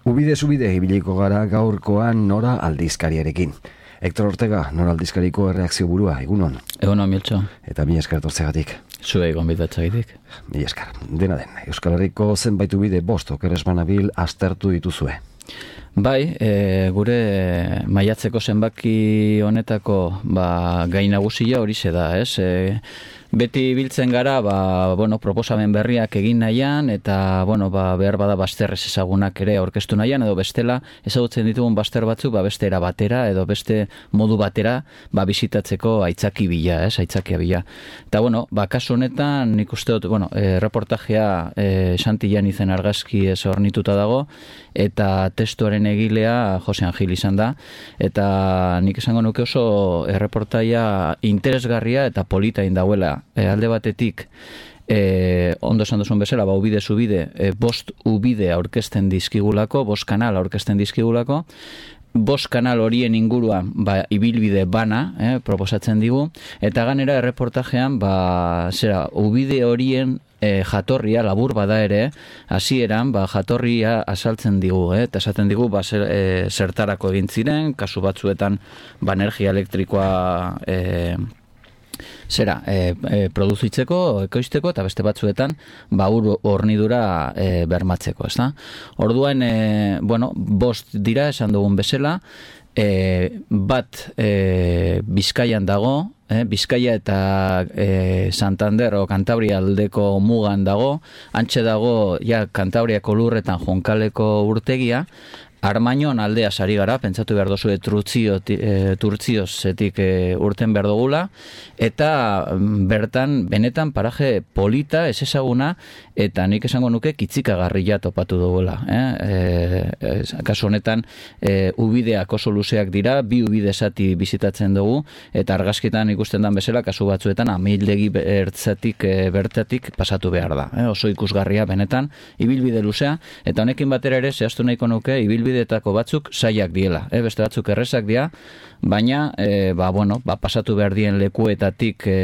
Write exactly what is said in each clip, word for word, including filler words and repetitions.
Ubide zubide ibiliko gara gaurkoan Nora aldizkariarekin. Hector Ortega, Nora aldizkariko erreakzio burua, egunon. Egunon, Miltxo. Eta mi esker tortzegatik. Zuei gonbidatzagatik. Mi esker. Dena den, Euskal Herriko zenbait ubide bost okeres banabil aztertu dituzue. Bai, e, gure maiatzeko zenbaki honetako ba, gai nagusia horixe da, ez? E, beti biltzen gara, ba, bueno, proposamen berriak egin nahian, eta bueno, ba, behar bada bazterrez ezagunak ere aurkeztu nahian, edo bestela ezagutzen ditugun bazter batzuk, ba, beste era batera, edo beste modu batera, ba, bizitatzeko aitzaki bila, ez? Aitzakia bila. Eta bueno, ba, kasu honetan, nik uste dut, bueno, e, reportajea e, Santillan izen argazki ez hornituta dago, eta testuaren egilea Jose Angil izan da, eta nik esango nuke oso erreportaia interesgarria eta polita indauela. E, alde batetik, e, ondo esan duzun bezala, ba, ubide zubide, e, bost ubide aurkezten dizkigulako, bost kanal aurkezten dizkigulako, bost kanal horien inguruan ba, ibilbide bana eh, proposatzen digu, eta ganera erreportajean ba, zera, ubide horien E, jatorria labur bada ere, hasieran ba, jatorria azaltzen digu, eh? Eta esaten digu ba, zer, e, zertarako egin ziren, kasu batzuetan ba, energia elektrikoa e, zera, e, e, produzitzeko, ekoizteko, eta beste batzuetan ba, ur hornidura e, bermatzeko, ezta? Orduan, e, bueno, bost dira esan dugun bezala, e, bat e, Bizkaian dago, Eh, Bizkaia eta eh, Santander o Kantabria aldeko mugan dago, antxe dago ja Kantabriako lurretan Jonkaleko urtegia, Armainon aldea sari gara, pentsatu behar dozu e, Turtziozetik e, urten behar dugula, eta bertan benetan paraje polita, ez ezaguna, eta nik esango nuke kitzikagarria topatu dugula. Eh? E, e, kasu honetan, e, ubideak oso luzeak dira, bi ubide zati bizitatzen dugu, eta argazkitan ikusten dan bezala, kasu batzuetan, amildegi bertzatik, e, bertatik pasatu behar da. Eh? Oso ikusgarria benetan, ibilbide luzea, eta honekin batera ere, zehaztu nahiko nuke, ibilbide bideetako batzuk saiak diela, eh? Beste batzuk errezak dira, baina e, ba, bueno, ba, pasatu behar dien lekuetatik e,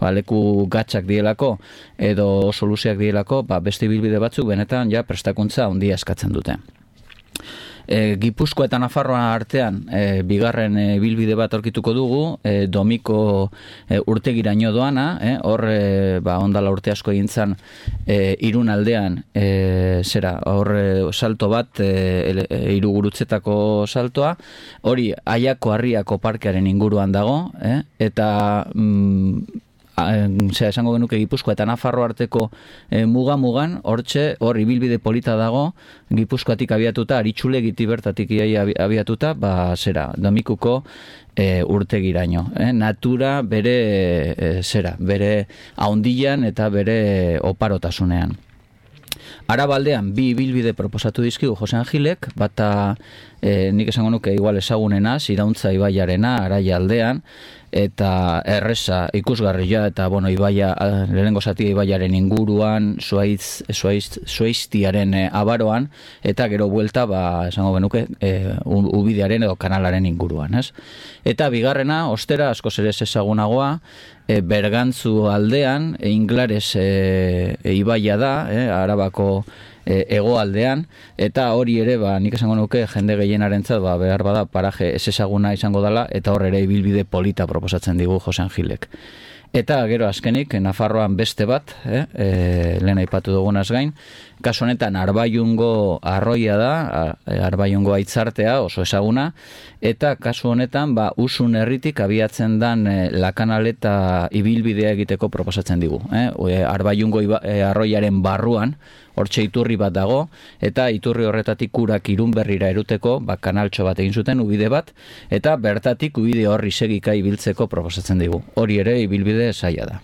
ba, leku gatzak dielako edo oso luzeak dielako, ba, beste ibilbide batzuk benetan ja prestakuntza handia eskatzen dute. E, Gipuzkoa eta Nafarroa artean e, bigarren e, bilbide bat aurkituko dugu, e, Domiko e, urtegiraino doana, e, hor e, ba, ondala urte asko egin zan e, Irun aldean, e, zera, hor e, salto bat, e, e, Irugurutzetako saltoa, hori Aiako Harriako parkearen inguruan dago, e, eta mm, Zera, esango genuke Gipuzkoa eta Nafarro arteko e, muga-mugan, hortxe, hor ibilbide polita dago, Gipuzkoatik abiatuta, Aritxulegiti bertatik abiatuta, ba, zera, Domikuko e, urtegiraino. Eh? Natura bere, e, zera, bere haundian eta bere oparotasunean. Arabaldean bi ibilbide proposatu dizkigu Jose Angilek, bata e, nik esango nuke igual ezagunena, Irauntza ibaiarena, Araia aldean, eta erreza ikusgarria, eta bueno, ibaia, lehenengo zatia ibaiaren inguruan, Zuaitz, Zuaitz, Zuaiztiaren e, abaroan, eta gero buelta, ba, esango genuke, e, ubidearen edo kanalaren inguruan, ez? Eta bigarrena, ostera, asko zerez ezagunagoa, e, Bergantzu aldean, e, Inglares e, e, ibaia da, e, Arabako E, hegoaldean, eta hori ere, ba, nik esango nuke, jende gehienarentzat, ba, behar bada, paraje ez ezaguna izango dela, eta hor ere ibilbide polita proposatzen digu Jose Angilek. Eta gero azkenik, Nafarroan beste bat, eh, e, lehen aipatu dugunaz gain, kasu honetan Arbaiungo arroia da, Arbaiungo aitzartea oso ezaguna, eta kasu honetan ba, Usun herritik abiatzen dan e, lakanaleta ibilbidea egiteko proposatzen digu. Eh? Arbaiungo e, arroiaren barruan, hortxe iturri bat dago, eta iturri horretatik Urak Irunberrira eruteko, ba, kanaltxo bat egin zuten, ubide bat, eta bertatik ubide horri segika ibiltzeko proposatzen digu. Hori ere ibilbide zaila da.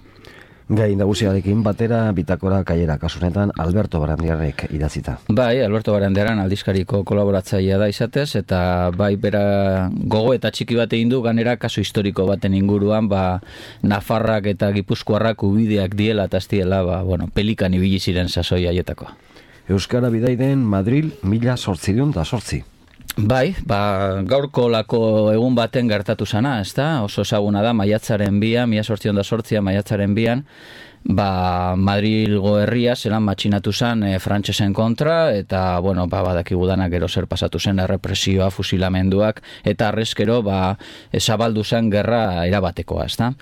Gai nagusiarekin batera bitakora kaiera, kasunetan Alberto Barandiarrek idatzita. Bai, Alberto Barandiaran aldizkariko kolaboratzailea da izatez, eta bai bera gogo eta txiki bat egin du, ganera kasu historiko baten inguruan, ba, Nafarrak eta Gipuzkoarrak ubideak diela eta ez diela, ba, bueno, pelikan ibili ziren sasoi haietakoa. Euskara bidaiden Madril mila zortzireun da zortzi. Bai, ba, gaurko lako egun baten gertatu zana, ezta? Oso ezaguna da, maiatzaren bian, mila sortzion da sortzia, maiatzaren bian, ba, Madrilgo herria zelan matxinatu zen e, frantsesen kontra, eta, bueno, ba, badakigu danak gero zer pasatu zen errepresioa, fusilamenduak, eta arrezkero, ba, zabaldu zen gerra erabatekoa, ezta?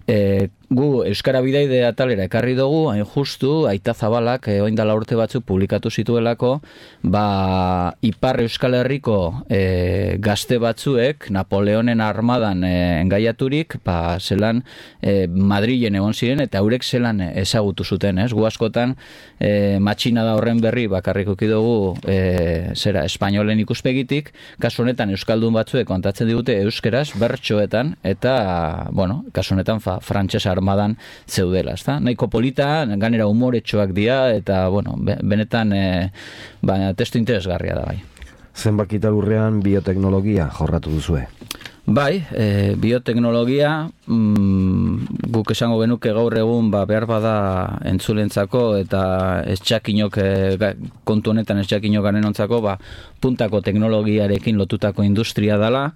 E, gu Euskara Bidaide atalera ekarri dugu, hain justu, Aita Zabalak e, oindala urte batzuk publikatu zituelako, ba, Ipar Euskal Herriko e, gazte batzuek Napoleonen armadan e, engaiaturik, ba, zelan e, Madrilen egon ziren, eta haurek zelan ezagutu zuten, ez? Gu askotan e, matxinada horren berri bakarrik uki dugu e, zera, espainolen ikuspegitik, kasu honetan euskaldun batzuek kontatzen digute euskeraz, bertsoetan, eta, bueno, kasu honetan fa, frantses armadan zeudela, ezta? Nahiko polita, ganera umoretxoak dira, eta, bueno, benetan e, ba, testu interesgarria da bai. Zenbakita lurrean bioteknologia jorratu duzue? Bai, e, bioteknologia, mm, guk esango genuke gaur egun ba, behar bada entzulentzako eta estxakinok, e, kontu honetan estxakinok ganenontzako, ba, puntako teknologiarekin lotutako industria dela,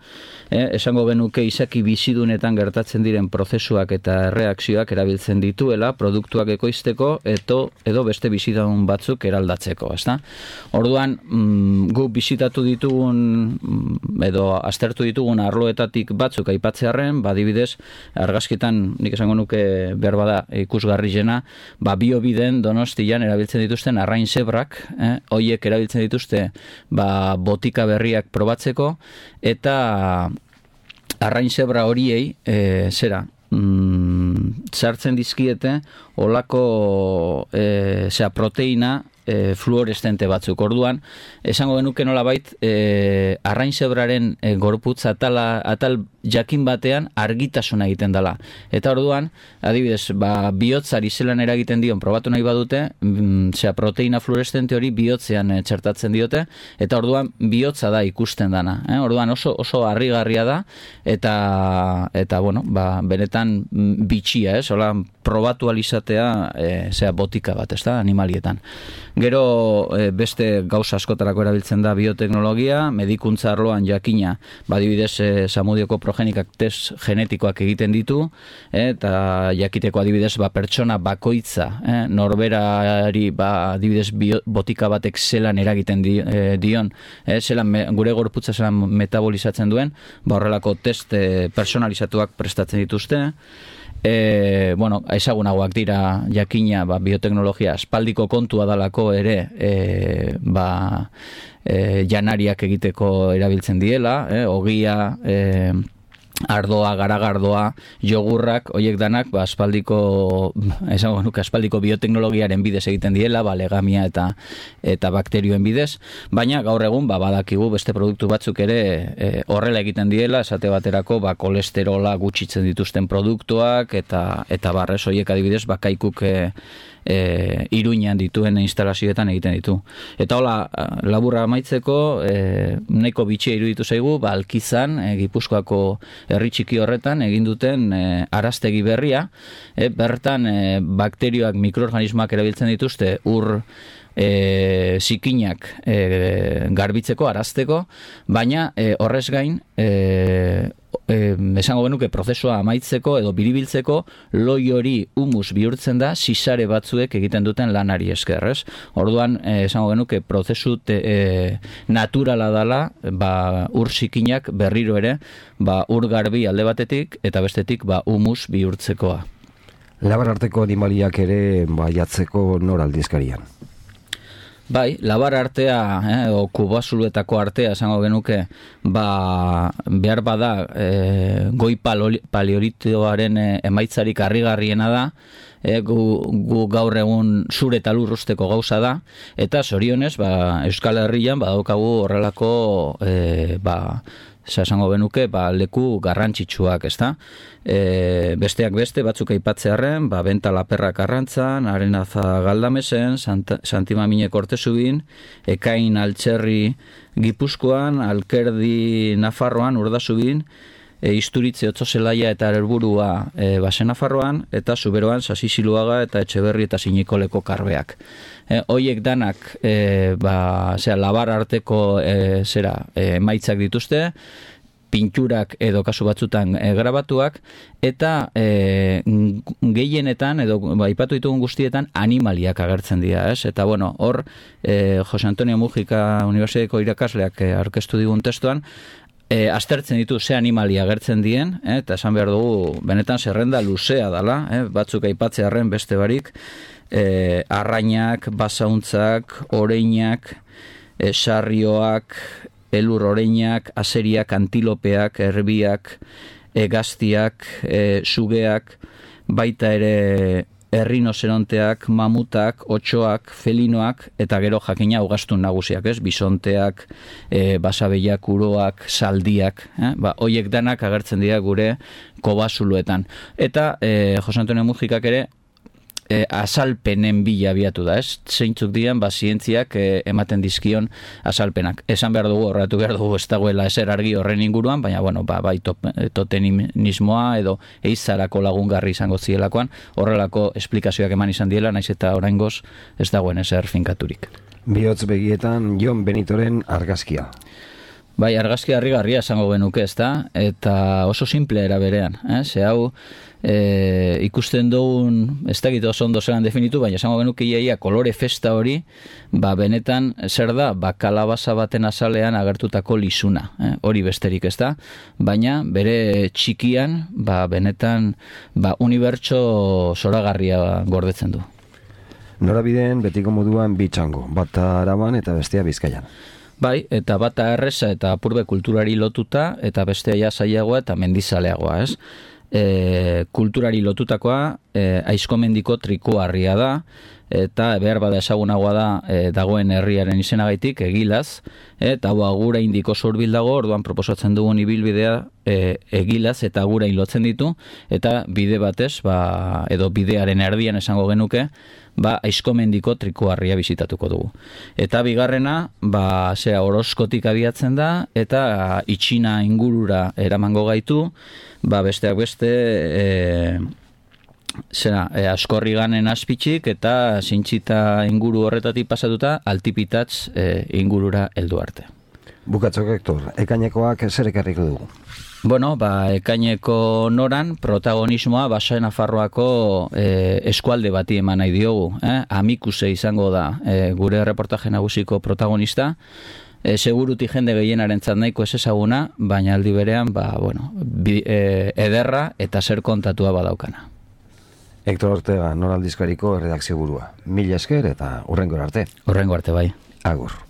e, esango genuke izaki bizidunetan gertatzen diren prozesuak eta erreakzioak erabiltzen dituela, produktuak ekoizteko, eto, edo beste bizidun batzuk eraldatzeko, ezta? Orduan, mm, guk bizitatu ditugun, edo aztertu ditugun arloetan batzuk aipatzearren, ba, adibidez, argazkitan nik esango nuke behar bada ikusgarriena, ba, biobiden Donostian erabiltzen dituzten arrain zebrak, eh? Hoiek erabiltzen dituzte ba, botika berriak probatzeko, eta arrain zebra horiei, e, zera, mm, sartzen dizkiete olako e, zera, proteina E, fluoreszente batzuk. Orduan, esango genuke nolabait, e, arrain zebraren e, gorputz atala, atal jakin batean argitasuna egiten dela. Eta orduan, adibidez, ba, bihotzari zelan eragiten dion probatu nahi badute, mm, zera, proteina fluoreszente hori bihotzean e, txertatzen diote, eta orduan bihotza da ikusten dana. Eh? Orduan oso oso harrigarria da, eta, eta bueno, ba, benetan bitxia, ez? Hola, probatu alizatea, e, zera, botika bat, ez da, animalietan. Gero e, beste gauza askotarako erabiltzen da bioteknologia, medikuntza arloan jakina, badibidez e, Zamudioko progenikak test genetikoak egiten ditu, e, eta jakiteko adibidez ba, pertsona bakoitza, e, norberari ba, adibidez bio, botika batek zelan eragiten di, e, dion, e, zelan me, gure gorputza zelan metabolizatzen duen, ba, horrelako test e, personalizatuak prestatzen dituzte. E, bueno, ezagunagoak dira jakina ba, bioteknologia aspaldiko kontua dalako ere e, ba, e, janariak egiteko erabiltzen diela, e, ogia, e, ardoa, garagardoa, jogurrak, hoiek danak ba, aspaldiko, esango nuke, aspaldiko bioteknologiaren bidez egiten diela, ba, legamia eta eta bakterioen bidez, baina gaur egun ba, badakigu beste produktu batzuk ere e, horrela egiten diela, esate baterako ba, kolesterola gutxitzen dituzten produktuak eta eta barrez hoiek adibidez bakaikuk e, E, Iruñan dituen instalazioetan egiten ditu. Eta hola, laburra amaitzeko, e, nahiko bitxia iruditu zaigu, ba, Alkizan, e, Gipuzkoako herri txiki horretan, egin duten e, araztegi berria, e, bertan e, bakterioak, mikroorganismoak erabiltzen dituzte, ur e, zikinak e, garbitzeko, arazteko, baina e, horrez gain, e, E, esango genuke prozesua amaitzeko edo biribiltzeko loi hori humus bihurtzen da sisare batzuek egiten duten lanari esker, ez? Orduan, e, esango genuke prozesu te, e, naturala dela, ba, ur zikinak berriro ere, ba, ur garbi alde batetik eta bestetik ba, humus bihurtzekoa. Labar arteko animaliak ere baiatzeko nor aldizkarian? Bai, labar artea, eh, o kubasuluetako artea, esango genuke, ba, behar bada, eh, goi paleolitoaren eh, emaitzarik harrigarriena da, eh, gu, gu gaur egun zure eta lurrusteko gauza da, eta zorionez, ba, Euskal Herrian badaukagu horrelako, eh, ba, esango benuke, ba, leku garrantzitsuak, ezta? E, besteak beste, batzuk aipatzearren, ba, Benta Laperrak Arrantzan, Arenaza Galdamesen, Santimamine Kortezubin, Ekain Altxerri Gipuzkoan, Alkerdi Nafarroan, Urdazubin, e, Isturitze Otzozelaia eta Erburua e, Basen Nafarroan, eta Zuberoan Sasiziluaga eta Etxeberri eta Sinikoleko Karbeak. E, hoiek danak e, ba, zera, labar arteko e, zera, e, emaitzak dituzte, pinturak edo kasu batzutan e, grabatuak, eta e, gehienetan, edo ba, aipatu ditugun guztietan, animaliak agertzen dira, ez? Eta, bueno, hor, e, Jose Antonio Mujika Unibertsitateko irakasleak e, aurkeztu digun testuan, E, aztertzen ditu ze animalia agertzen dien, eh, eta esan behar dugu, benetan zerrenda luzea dala, eh, batzuk aipatzearren beste barik, e, arrainak, basauntzak, oreinak, e, sarrioak, elur oreinak, azeriak, antilopeak, erbiak, egaztiak, e, sugeak, baita ere errinozeronteak, mamutak, otxoak, felinoak, eta gero jakina ugaztun nagusiak, ez? Bisonteak, e, basabeiak, uroak, saldiak, eh? Ba, hoiek danak agertzen dira gure kobasuluetan. Eta e, Jose Antonio Mujikak ere E, azalpenen bila abiatu da, ez? Zeintzuk dian, ba, zientziak e, ematen dizkion azalpenak. Esan behar dugu, horretu behar dugu, ez dagoela ezer argi horren inguruan, baina, bueno, ba, bai totenismoa edo eizarako lagungarri izango zielakoan, horrelako esplikazioak eman izan diela, naiz eta oraingoz ez dagoen ezer finkaturik. Bihotz begietan Jon Benitoren argazkia. Bai, argazki harrigarria esango genuke, ez da? Eta oso simple era berean, eh? Ze hau e, ikusten dugun, ez dakit oso ondo zelan definitu, baina esango genuke iaia kolore festa hori, ba benetan zer da, ba kalabaza baten azalean agertutako lizuna, eh? Hori besterik, ez da? Baina bere txikian, ba benetan, ba unibertso zoragarria gordetzen du. Norabideen betiko moduan bitxango, bata Araban eta bestea Bizkaian. Bai, eta bata erreza eta apurbe kulturari lotuta, eta bestea ja zailagoa eta mendizaleagoa, ez? E, kulturari lotutakoa e, aizkomendiko trikuarria da, eta behar bada ezagunagoa da e, dagoen herriaren izenagaitik, Egilaz, eta hau agura indiko zurbil dago, orduan proposatzen dugun ibilbidea e, Egilaz eta agura lotzen ditu, eta bide batez, ba, edo bidearen erdian esango genuke, ba, aizkomendiko trikuarria bizitatuko dugu. Eta bigarrena, ba, zera, Orozkotik abiatzen da, eta itxina ingurura eramango gaitu, ba, besteak beste, e, zera, e, Askorriganen azpitxik, eta Zintxita inguru horretatik pasatuta, Altipitatz e, ingurura heldu arte. Bukatzok, Hector, ekainekoak zer ekarriko dugu? Bueno, ba, ekaineko noran protagonismoa Baso Nafarroako e, eskualde bati eman nahi diogu. Eh? Amikuse izango da e, gure reportaje nagusiko protagonista. E, seguruti jende gehienarentzat nahiko ez ezaguna, baina aldi berean, ba, bueno, bi, e, ederra eta zer kontatua badaukana. Hector Ortega, Nor aldizkariko redakzio burua. Mila esker eta hurrengo arte. Hurrengo arte, bai. Agur.